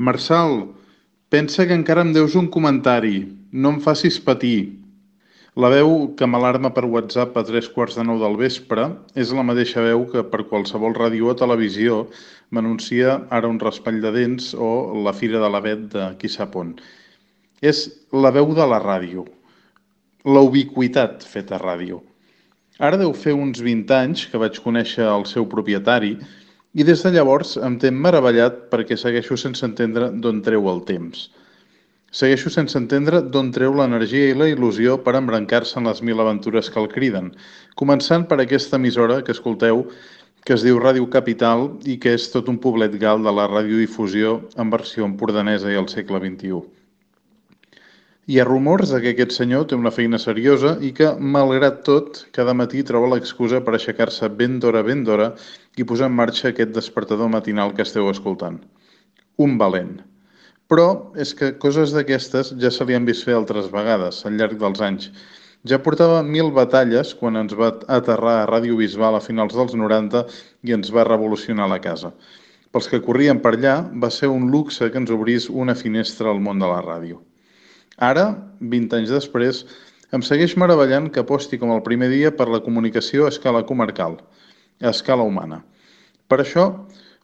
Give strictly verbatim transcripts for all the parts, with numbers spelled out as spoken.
Marçal, pensa que encara em deus un comentari. No em facis patir. La veu que m'alarma per WhatsApp a tres quarts de nou del vespre és la mateixa veu que per qualsevol ràdio o televisió m'anuncia ara un raspall de dents o la fira de l'avet de qui sap on. És la veu de la ràdio, la ubiquitat feta ràdio. Ara deu fer uns vint anys que vaig conèixer el seu propietari i des de llavors em té meravellat perquè segueixo sense entendre d'on treu el temps. Segueixo sense entendre d'on treu l'energia i la il·lusió per embrancar-se en les mil aventures que el criden, començant per aquesta emissora que escolteu, que es diu Ràdio Capital i que és tot un poblet gal de la radiodifusió en versió empordanesa i al segle vint-i-u. Hi ha rumors de que aquest senyor té una feina seriosa i que, malgrat tot, cada matí troba l'excusa per aixecar-se ben d'hora, ben d'hora i posar en marxa aquest despertador matinal que esteu escoltant. Un valent. Però és que coses d'aquestes ja se li han vist fer altres vegades, al llarg dels anys. Ja portava mil batalles quan ens va aterrar a Ràdio Bisbal a finals dels noranta i ens va revolucionar la casa. Pels que corrien per allà, va ser un luxe que ens obrís una finestra al món de la ràdio. Ara, vint anys després, em segueix meravellant que aposti com el primer dia per la comunicació a escala comarcal, a escala humana. Per això,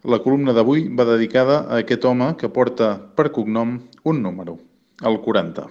la columna d'avui va dedicada a aquest home que porta per cognom un número, el quaranta.